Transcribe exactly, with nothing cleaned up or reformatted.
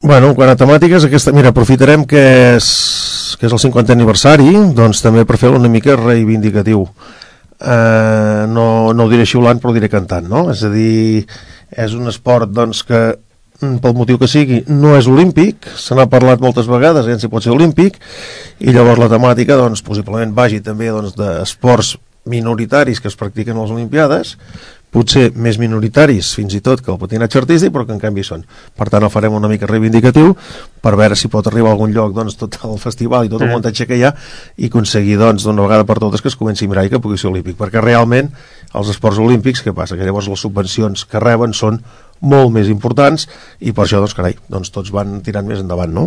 Bueno, quan a temàtiques, aquesta, mira, aprofitarem que és, que és el cinquantè aniversari, doncs també per fer-lo una mica reivindicatiu. Uh, no, no ho diré xiulant, però ho diré cantant, no? És a dir, és un esport doncs, que, pel motiu que sigui, no és olímpic, se n'ha parlat moltes vegades, eh, si pot ser olímpic, i llavors la temàtica, doncs, possiblement vagi també doncs, d'esports minoritaris que es practiquen a les Olimpiades, potser més minoritaris fins i tot que el patinatge artístic, però que en canvi són. Per tant, el farem una mica reivindicatiu per veure si pot arribar a algun lloc doncs, tot el festival i tot el muntatge que hi ha i aconseguir doncs, d'una vegada per totes que es comenci a mirar i que pugui ser olímpic, perquè realment els esports olímpics, què passa? Que llavors les subvencions que reben són molt més importants i per això, doncs, carai, doncs tots van tirant més endavant, no?